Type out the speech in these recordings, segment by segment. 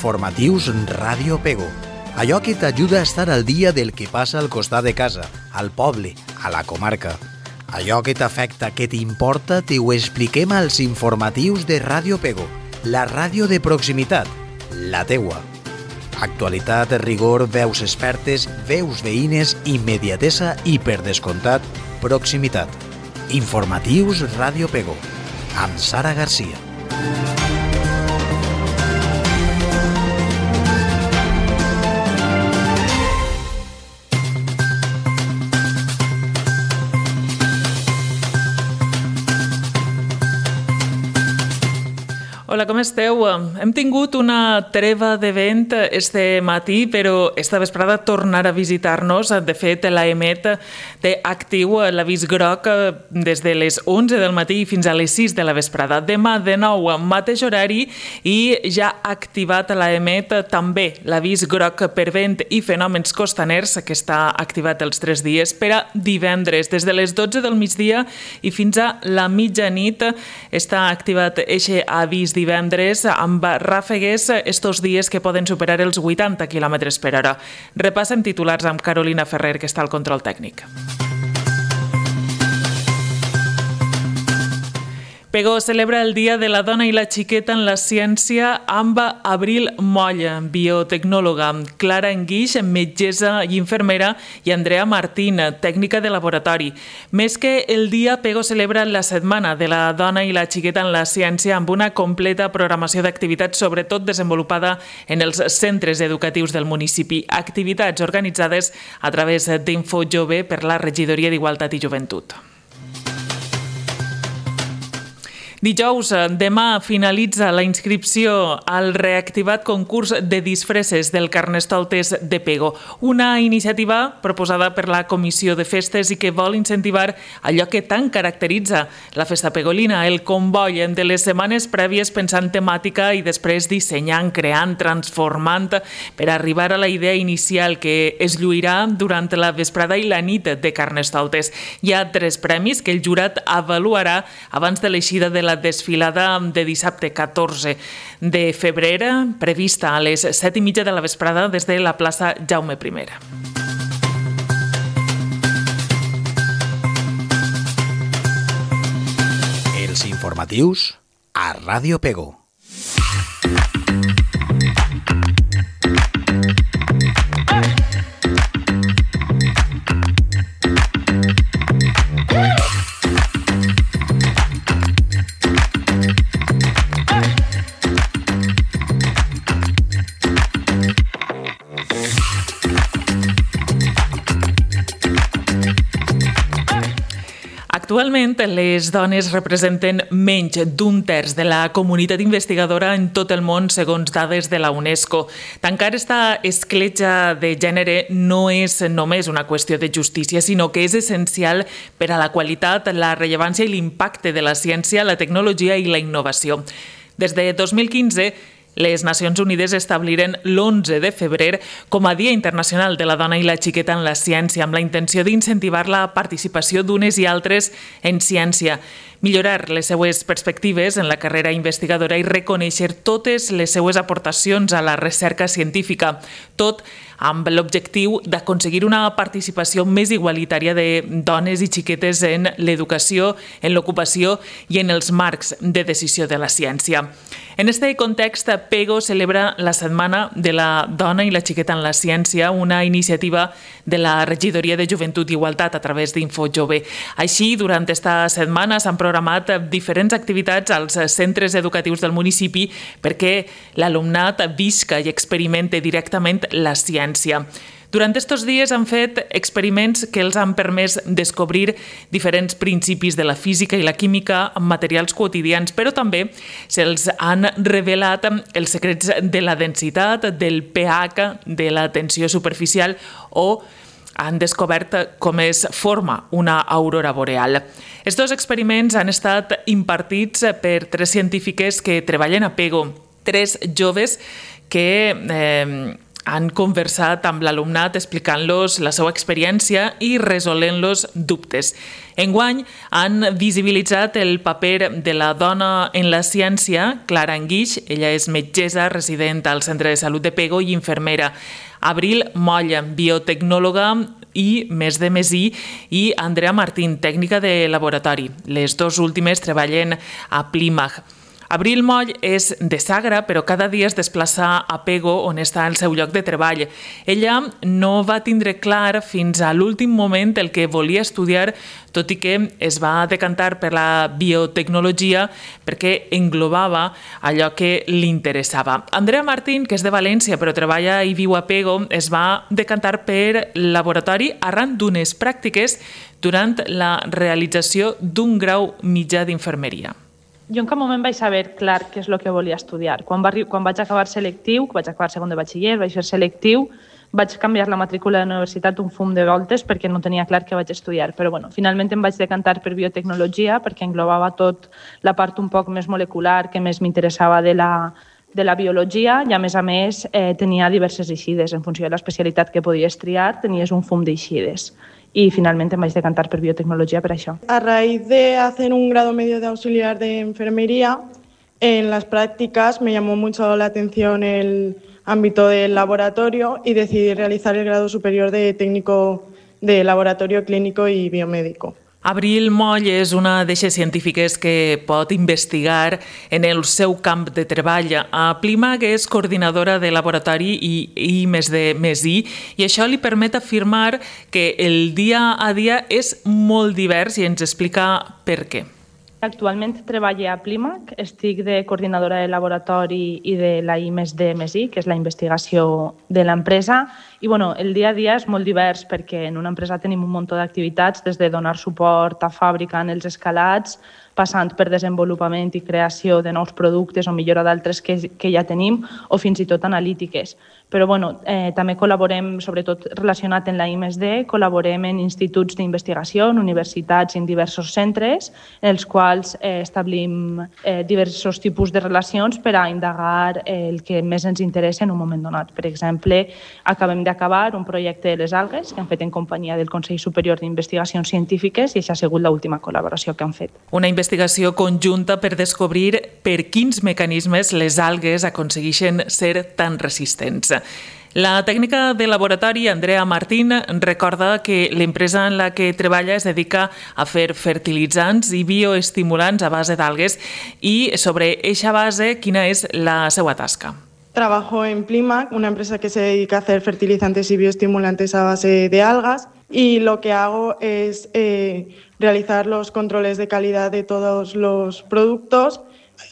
informatius Ràdio Pego. Allò que t'ajuda a estar al dia del que passa al costat de casa, al poble, a la comarca. Allò que t'afecta, que t'importa, t'ho expliquem als informatius de Ràdio Pego, la ràdio de proximitat, la teua. Actualitat, rigor, veus expertes, veus veïnes, immediatesa i, per descomptat, proximitat. Informatius Ràdio Pego, amb Sara Garcia. Hola, com esteu? Hem tingut una treva de vent este matí, però esta vesprada tornarà a visitar-nos. De fet, l'AEMET té actiu l'avís groc des de les 11 del matí fins a les 6 de la vesprada. Demà, de nou, mateix horari, i ja ha activat l'AEMET també l'avís groc per vent i fenòmens costaners, que està activat els 3 dies, per a divendres. Des de les 12 del migdia i fins a la mitjanit està activat eixe avís divendres amb ràfegues estos dies que poden superar els 80 km per hora. Repassem titulars amb Carolina Ferrer, que està al control tècnic. Pego celebra el Dia de la Dona i la Xiqueta en la Ciència amb Abril Molla, biotecnòloga, Clara Enguix, metgessa i infermera, i Andrea Martín, tècnica de laboratori. Més que el dia, Pego celebra la Setmana de la Dona i la Xiqueta en la Ciència amb una completa programació d'activitats, sobretot desenvolupada en els centres educatius del municipi. Activitats organitzades a través d'Info Jove per la Regidoria d'Igualtat i Joventut. Dijous, demà, finalitza la inscripció al reactivat concurs de disfresses del Carnestoltes de Pego, una iniciativa proposada per la Comissió de Festes i que vol incentivar allò que tant caracteritza la festa pegolina, el comboi de les setmanes prèvies pensant temàtica i després dissenyant, creant, transformant per arribar a la idea inicial que es lluirà durant la vesprada i la nit de Carnestoltes. Hi ha 3 premis que el jurat avaluarà abans de l'eixida de la desfilada de dissabte 14 de febrer, prevista a les 7:30 de la vesprada des de la plaça Jaume I. Els informatius a Ràdio Pego. Actualment, les dones representen menys d'1/3 de la comunitat investigadora en tot el món, segons dades de la UNESCO. Tancar esta escletxa de gènere no és només una qüestió de justícia, sinó que és essencial per a la qualitat, la rellevància i l'impacte de la ciència, la tecnologia i la innovació. Des de 2015, les Nacions Unides establiren l'11 de febrer com a Dia Internacional de la Dona i la Xiqueta en la Ciència, amb la intenció d'incentivar la participació d'unes i altres en ciència, millorar les seues perspectives en la carrera investigadora i reconèixer totes les seues aportacions a la recerca científica, tot amb l'objectiu d'aconseguir una participació més igualitària de dones i xiquetes en l'educació, en l'ocupació i en els marcs de decisió de la ciència. En aquest context, Pego celebra la Setmana de la Dona i la Xiqueta en la Ciència, una iniciativa de la Regidoria de Joventut i Igualtat a través d'Info Jove. Així, durant aquesta setmana s'han programat diferents activitats als centres educatius del municipi perquè l'alumnat visca i experimente directament la ciència. Durant aquests dies han fet experiments que els han permès descobrir diferents principis de la física i la química amb materials quotidians, però també se'ls han revelat els secrets de la densitat, del pH, de la tensió superficial o han descobert com es forma una aurora boreal. Estos experiments han estat impartits per 3 científiques que treballen a Pego, 3 joves que Han conversat amb l'alumnat explicant-los la seva experiència i resolent-los dubtes. Enguany han visibilitzat el paper de la dona en la ciència. Clara Anguix, ella és metgessa resident al Centre de Salut de Pego i infermera. Abril Moll, biotecnòloga i més de Mesí, i Andrea Martín, tècnica de laboratori. Les dues últimes treballen a Plymouth. Abril Moll és de Sagra, però cada dia es desplaça a Pego, on està el seu lloc de treball. Ella no va tindre clar fins a l'últim moment el que volia estudiar, tot i que es va decantar per la biotecnologia perquè englobava allò que li interessava. Andrea Martín, que és de València però treballa i viu a Pego, es va decantar per laboratori arran d'unes pràctiques durant la realització d'un grau mitjà d'infermeria. Jo en cap moment vaig saber clar què és el que volia estudiar. Quan vaig acabar selectiu, vaig acabar segon de batxiller, vaig fer selectiu, vaig canviar la matrícula de la universitat un fum de voltes perquè no tenia clar què vaig estudiar. Però finalment em vaig decantar per biotecnologia perquè englobava tot la part un poc més molecular que més m'interessava de la biologia i a més tenia diverses eixides. En funció de l'especialitat que podies triar, tenies un fum d'eixides. Y finalmente me vaig decantar por biotecnología para eso. A raíz de hacer un grado medio de auxiliar de enfermería, en las prácticas me llamó mucho la atención el ámbito del laboratorio y decidí realizar el grado superior de técnico de laboratorio clínico y biomédico. Abril Moll és una d'eixes científiques que pot investigar en el seu camp de treball. A Plymouth és coordinadora de laboratori i I+D+I i això li permet afirmar que el dia a dia és molt divers i ens explica per què. Actualment treballo a Plymouth, estic de coordinadora de laboratori i de la I+D+I, que és la investigació de l'empresa. I el dia a dia és molt divers perquè en una empresa tenim un munt d'activitats, des de donar suport a fàbrica en els escalats, passant per desenvolupament i creació de nous productes o millora d'altres que ja tenim, o fins i tot analítiques. Però també col·laborem, sobretot relacionat amb la I+D, col·laborem en instituts d'investigació, en universitats i en diversos centres, en els quals establim diversos tipus de relacions per a indagar el que més ens interessa en un moment donat. Per exemple, acabem d'acabar un projecte de les algues que hem fet en companyia del Consell Superior d'Investigacions Científiques i això ha sigut l'última col·laboració que hem fet. Una investigació conjunta per descobrir per quins mecanismes les algues aconsegueixen ser tan resistents. La tècnica de laboratori, Andrea Martín, recorda que l'empresa en la que treballa es dedica a fer fertilitzants i bioestimulants a base d'algues i sobre eixa base, quina és la seva tasca? Trabajo en Plymouth, una empresa que se dedica a hacer fertilizantes y bioestimulantes a base de algas, y lo que hago es realizar los controles de calidad de todos los productos.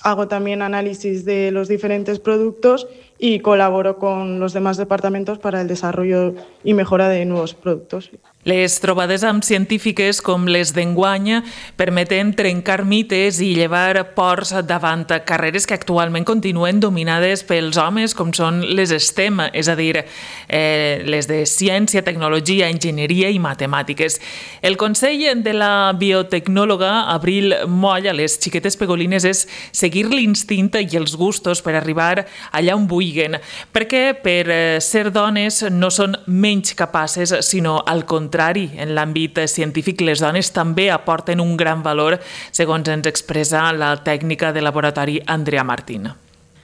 Hago también análisis de los diferentes productos y colaboro con los demás departamentos para el desarrollo y mejora de nuevos productos. Les trobades amb científiques com les d'enguany permeten trencar mites i llevar ports davant carreres que actualment continuen dominades pels homes, com són les STEM, és a dir, les de ciència, tecnologia, enginyeria i matemàtiques. El consell de la biotecnòloga Abril Moll a les xiquetes pegolines és seguir l'instint i els gustos per arribar allà on vulguin, perquè per ser dones no són menys capaces, sinó al contrari. En l'àmbit científic, les dones també aporten un gran valor, segons ens expressa la tècnica de laboratori Andrea Martín.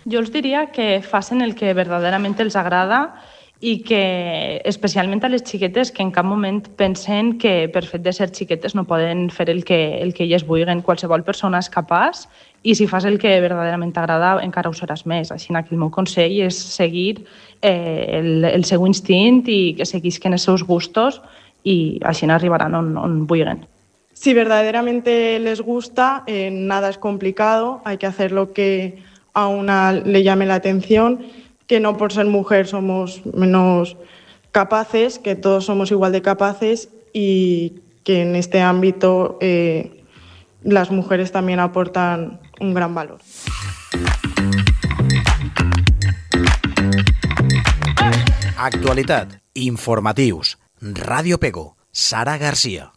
Jo els diria que facin el que verdaderament els agrada i que, especialment a les xiquetes, que en cap moment pensen que per fet de ser xiquetes no poden fer el que elles vulguin. Qualsevol persona és capaç i si fas el que verdaderament t'agrada encara ho seràs més. Així que el meu consell és seguir el seu instint i que seguisquen els seus gustos y así arribarán on vulguin. Si verdaderamente les gusta, nada es complicado, hay que hacer lo que a una le llame la atención, que no por ser mujer somos menos capaces, que todos somos igual de capaces y que en este ámbito las mujeres también aportan un gran valor. Actualitat, informatius, Ràdio Pego, Sara Garcia.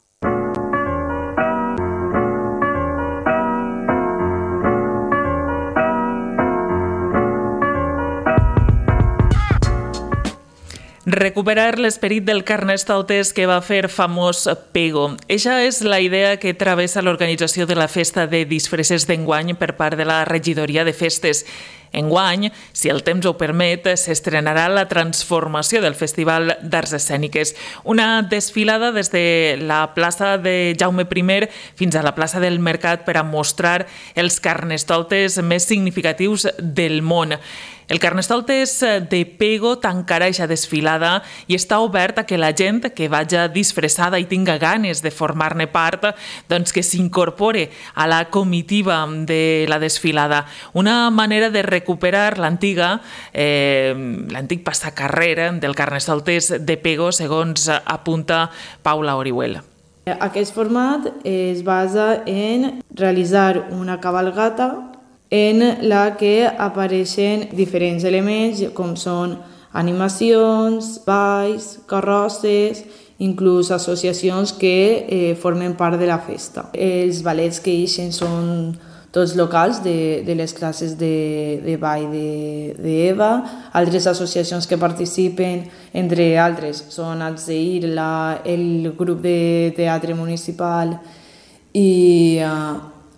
Recuperar l'esperit del Carnestoltes que va fer famós Pego. Eixa és la idea que travessa l'organització de la festa de disfresses d'enguany per part de la regidoria de festes. Enguany, si el temps ho permet, s'estrenarà la transformació del Festival d'Arts Escèniques. Una desfilada des de la plaça de Jaume I fins a la plaça del Mercat per a mostrar els carnestoltes més significatius del món. El Carnestoltes de Pego tancarà eixa desfilada i està obert a que la gent que vagi disfressada i tinga ganes de formar-ne part, doncs que s'incorpore a la comitiva de la desfilada. Una manera de recuperar l'antic passacarrer del Carnestoltes de Pego, segons apunta Paula Orihuela. Aquest format es basa en realitzar una cabalgata en la que apareixen diferents elements com són animacions, balls, carrosses, inclús associacions que formen part de la festa. Els ballets que ixen són tots locals de les classes de ball d'Eva. Altres associacions que participen, entre altres, són Atzeir, el grup de teatre municipal i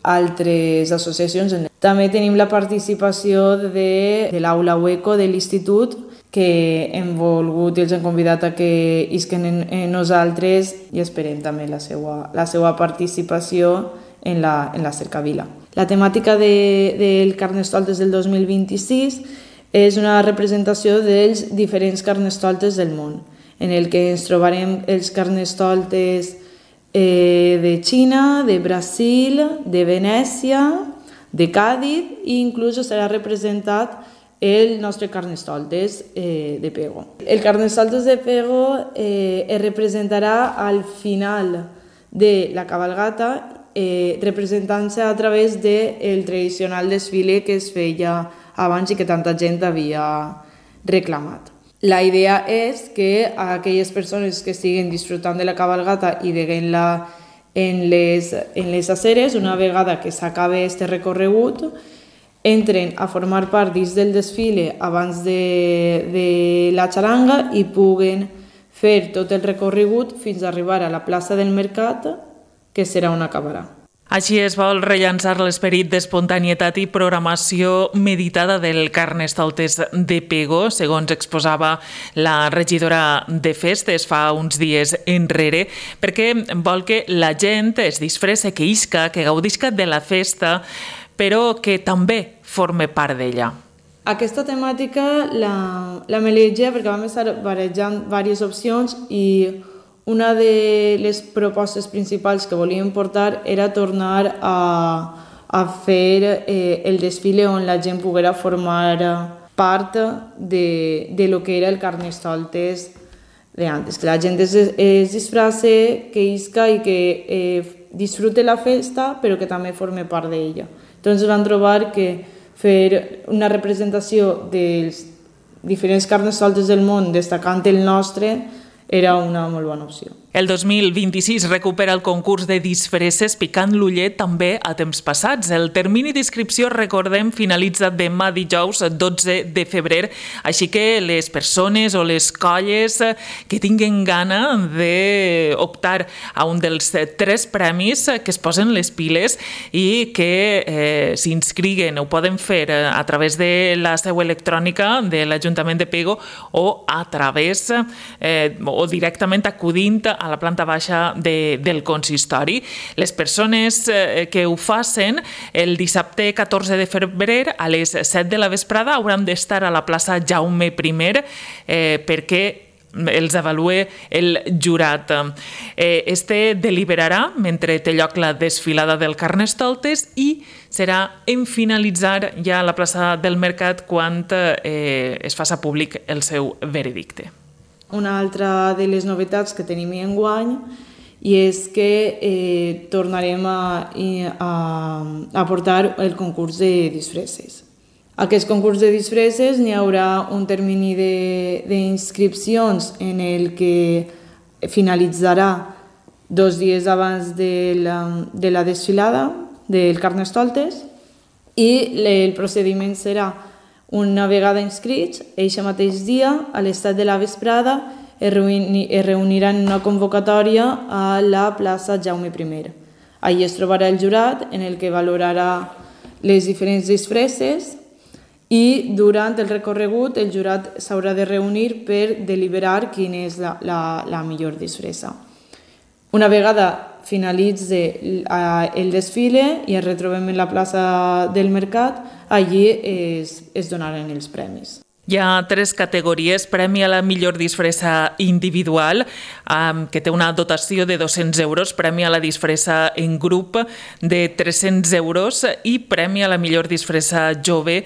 altres associacions. També tenim la participació de l'Aula Hueco de l'Institut, que hem volgut i els hem convidat a que isquen en nosaltres i esperem també la seva participació en la cercavila. La temàtica del Carnestoltes del 2026 és una representació dels diferents carnestoltes del món, en el que ens trobarem els carnestoltes de Xina, de Brasil, de Venècia, de Càdiz i inclús serà representat el nostre Carnestoltes de Pego. El Carnestoltes de Pego es representarà al final de la cabalgata, representant-se a través del tradicional desfile que es feia abans i que tanta gent havia reclamat. La idea és que aquelles persones que estiguen disfrutant de la cabalgata i veient-la en les aceres, una vegada que s'acabe aquest recorregut, entren a formar part dins del desfile abans de la xaranga i puguen fer tot el recorregut fins a arribar a la plaça del Mercat, que serà on acabarà. Així es vol rellançar l'esperit d'espontanietat i programació meditada del Carnestoltes de Pego, segons exposava la regidora de festes fa uns dies enrere, perquè vol que la gent es disfresse, que isca, que gaudisca de la festa, però que també forme part d'ella. Aquesta temàtica la melegia perquè vam estar barejant diverses opcions i una de les propostes principals que volíem portar era tornar a fer el desfile on la gent poguera formar part de lo que era el Carnestoltes d'antes, que la gent es disfrace, que isca i que disfrute la festa, però que també forme part d'ella. Entonces van trobar que fer una representació dels diferents Carnestoltes del món, destacant el nostre, era una molt bona opció. El 2026 recupera el concurs de disfresses picant l'ullet també a temps passats. El termini d'inscripció, recordem, finalitza demà dijous 12 de febrer, així que les persones o les colles que tinguin gana d'optar a un dels 3 premis que es posen les piles i que s'inscriguen, ho poden fer a través de la seu electrònica de l'Ajuntament de Pego o a través o directament acudint a la planta baixa del consistori. Les persones que ho facin el dissabte 14 de febrer a les 7 de la vesprada hauran d'estar a la plaça Jaume I perquè els avalue el jurat. Este deliberarà mentre té lloc la desfilada del Carnestoltes i serà en finalitzar ja a la plaça del Mercat quan es faça públic el seu veredicte. Una altra de les novetats que tenim enguany i és que tornarem a portar el concurs de disfresses. Aquest concurs de disfresses n'hi haurà un termini d'inscripcions en el que finalitzarà 2 dies abans de la desfilada del Carnestoltes i el procediment serà Una vegada inscrits, eixe mateix dia, a les 7 de la vesprada, es reuniran en una convocatòria a la plaça Jaume I. Allí es trobarà el jurat, en el que valorarà les diferents disfresses, i durant el recorregut el jurat s'haurà de reunir per deliberar quina és la millor disfressa. Una vegada finalitze el desfile i ens retrobem en la plaça del Mercat, allí es donaran els premis. Hi ha 3 categories: premi a la millor disfressa individual, que té una dotació de 200 euros, premi a la disfressa en grup de 300 euros i premi a la millor disfressa jove,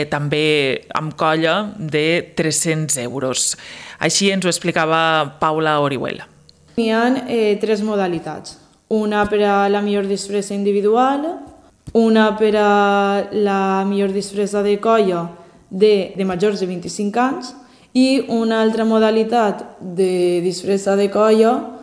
també amb colla, de 300 euros. Així ens ho explicava Paula Orihuela. Hi ha 3 modalitats. Una per a la millor disfressa individual, una per a la millor disfressa de colla de majors de 25 anys i una altra modalitat de disfressa de colla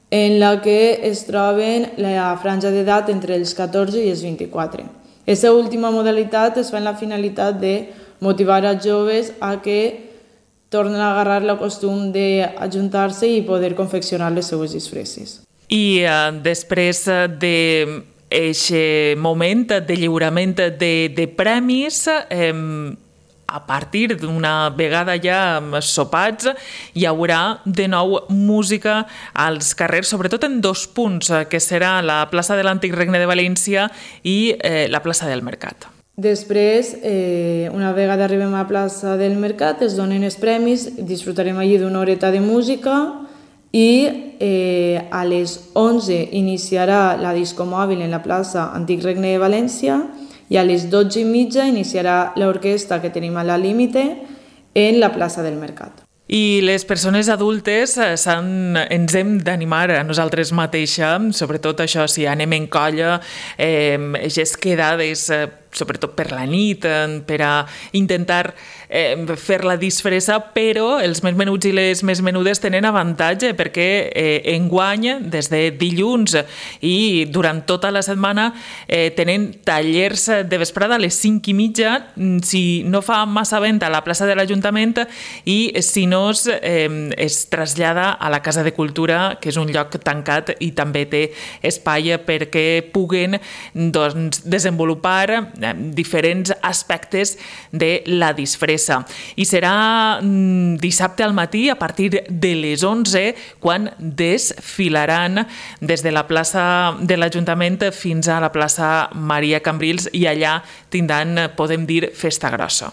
en la que es troben la franja d'edat entre els 14 i els 24. Aquesta última modalitat es fa amb la finalitat de motivar als joves a que tornen a agarrar el costum d'ajuntar-se i poder confeccionar les seues disfresses. I després d'aquest moment de lliurament de premis, a partir d'una vegada ja sopats, hi haurà de nou música als carrers, sobretot en 2 punts, que serà la plaça de l'Antic Regne de València i la plaça del Mercat. Després, una vegada arribem a la plaça del Mercat, es donen els premis, disfrutarem allí d'una horeta de música i a les 11 iniciarà la disco mòbil en la plaça Antic Regne de València i a les 12:30 iniciarà l'orquestra que tenim a la Límite en la plaça del Mercat. I les persones adultes ens hem d'animar a nosaltres mateixes, sobretot això, si anem en colla, aquestes quedades, sobretot per la nit, per a intentar fer la disfressa, però els més menuts i les més menudes tenen avantatge perquè enguany, des de dilluns i durant tota la setmana, tenen tallers de vesprada a les 5:30, si no fa massa vent a la plaça de l'Ajuntament i si no es trasllada a la Casa de Cultura, que és un lloc tancat i també té espai perquè puguen desenvolupar diferents aspectes de la disfressa. I serà dissabte al matí, a partir de les 11, quan desfilaran des de la plaça de l'Ajuntament fins a la plaça Maria Cambrils i allà tindran, podem dir, festa grossa.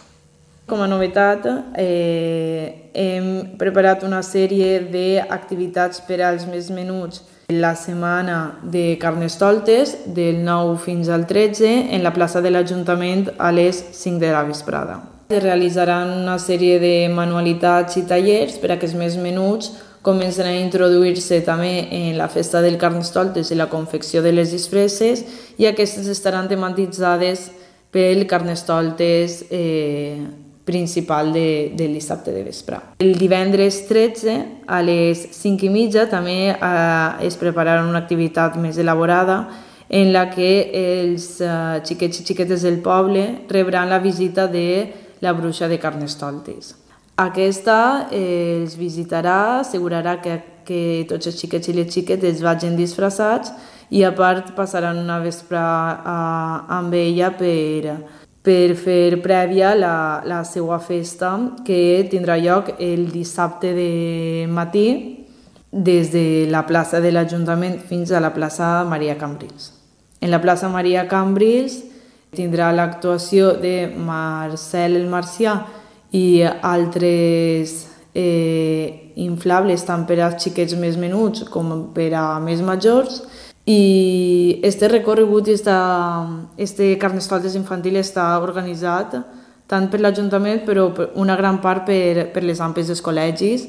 Com a novetat, hem preparat una sèrie d'activitats per als més menuts la setmana de Carnestoltes, del 9 fins al 13, en la plaça de l'Ajuntament a les 5 de la vesprada. Es realitzaran una sèrie de manualitats i tallers per a que els més menuts comencen a introduir-se també en la festa del Carnestoltes i la confecció de les disfresses, i aquestes estaran tematitzades pel Carnestoltes principal del dissabte de vespre. El divendres 13 a les 5:30 també es prepararà una activitat més elaborada en la que els xiquets i xiquetes del poble rebran la visita de la bruixa de Carnestoltes. Aquesta els visitarà, assegurarà que tots els xiquets i les xiquetes vagin disfressats i a part passaran una vesprada amb ella per fer prèvia la seva festa, que tindrà lloc el dissabte de matí des de la plaça de l'Ajuntament fins a la plaça Maria Cambrils. En la plaça Maria Cambrils tindrà l'actuació de Marcel el Marcià i altres inflables tant per als xiquets més menuts com per a més majors. I este recorregut i este Carnestoltes infantil està organitzat tant per l'Ajuntament, però una gran part per les AMPs dels col·legis,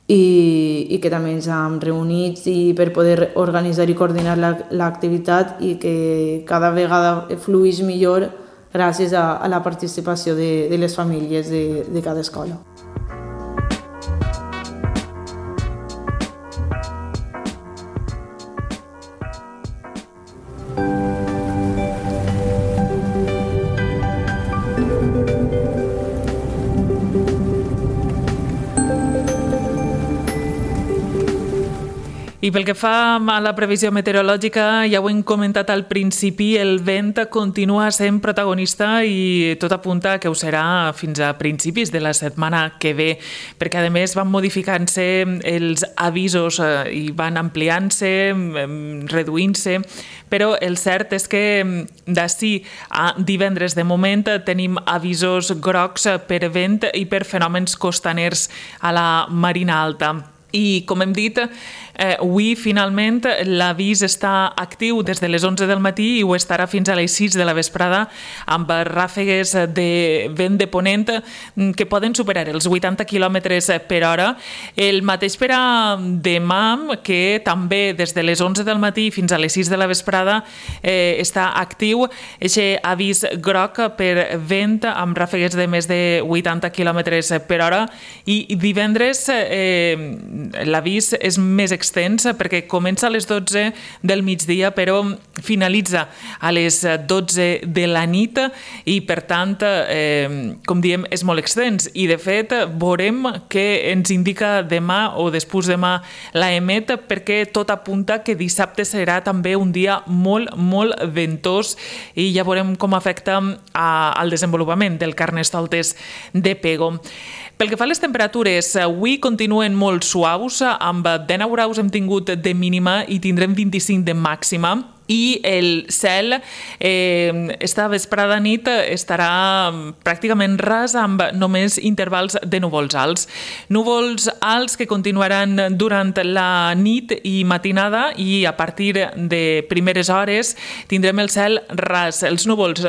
i que també ens hem reunit i per poder organitzar i coordinar l'activitat i que cada vegada fluïs millor gràcies a la participació de les famílies de cada escola. I pel que fa a la previsió meteorològica, ja ho hem comentat al principi, el vent continua sent protagonista i tot apunta que ho serà fins a principis de la setmana que ve, perquè a més van modificant-se els avisos i van ampliant-se, reduint-se, però el cert és que d'ací a divendres de moment tenim avisos grocs per vent i per fenòmens costaners a la Marina Alta. I, com hem dit, avui finalment l'avís està actiu des de les 11 del matí i ho estarà fins a les 6 de la vesprada amb ràfegues de vent de ponent que poden superar els 80 km per hora. El mateix per a demà, que també des de les 11 del matí fins a les 6 de la vesprada està actiu aquest avís groc per vent amb ràfegues de més de 80 km per hora. I divendres l'avís és més extens perquè comença a les 12 del migdia però finalitza a les 12 de la nit i per tant, com diem, és molt extens i de fet veurem què ens indica demà o després demà l'EMET perquè tot apunta que dissabte serà també un dia molt, molt ventós i ja veurem com afecta al desenvolupament del Carnestoltes de Pego. Pel que fa a les temperatures, avui continuen molt suaus, amb 19 graus hem tingut de mínima i tindrem 25 de màxima. I el cel esta vesprada nit estarà pràcticament ras amb només intervals de núvols alts. Núvols alts que continuaran durant la nit i matinada i a partir de primeres hores tindrem el cel ras. Els núvols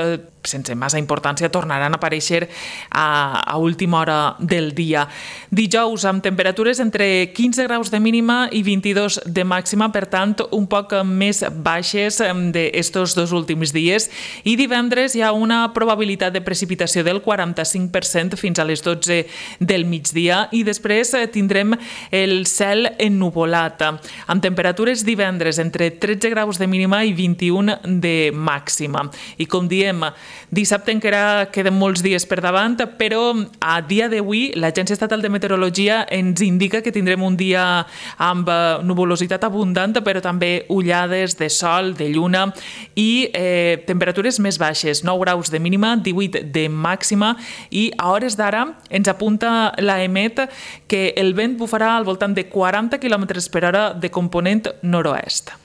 sense massa importància tornaran a aparèixer a última hora del dia. Dijous amb temperatures entre 15 graus de mínima i 22 de màxima, per tant un poc més baixes d'estos dos últims dies, i divendres hi ha una probabilitat de precipitació del 45% fins a les 12 del migdia i després tindrem el cel ennuvolat amb temperatures divendres entre 13 graus de mínima i 21 de màxima. I com diem, dissabte encara queden molts dies per davant, però a dia d'avui l'Agència Estatal de Meteorologia ens indica que tindrem un dia amb nuvolositat abundant, però també ullades de sol, de lluna i temperatures més baixes, 9 graus de mínima, 18 de màxima, i a hores d'ara ens apunta l'EMET que el vent bufarà al voltant de 40 km per hora de component nord-oest.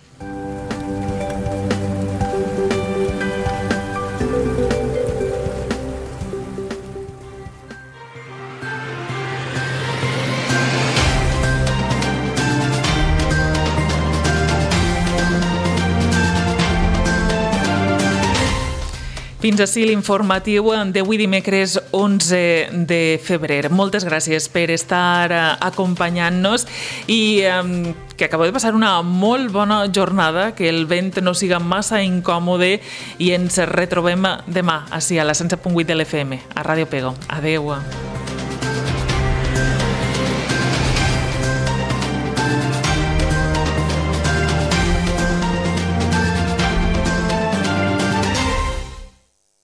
Fins ací l'informatiu d'avui dimecres 11 de febrer. Moltes gràcies per estar acompanyant-nos i que acabeu de passar una molt bona jornada, que el vent no siga massa incòmode i ens retrobem demà ací a la 107.8 de l'FM, a Ràdio Pego. Adeu.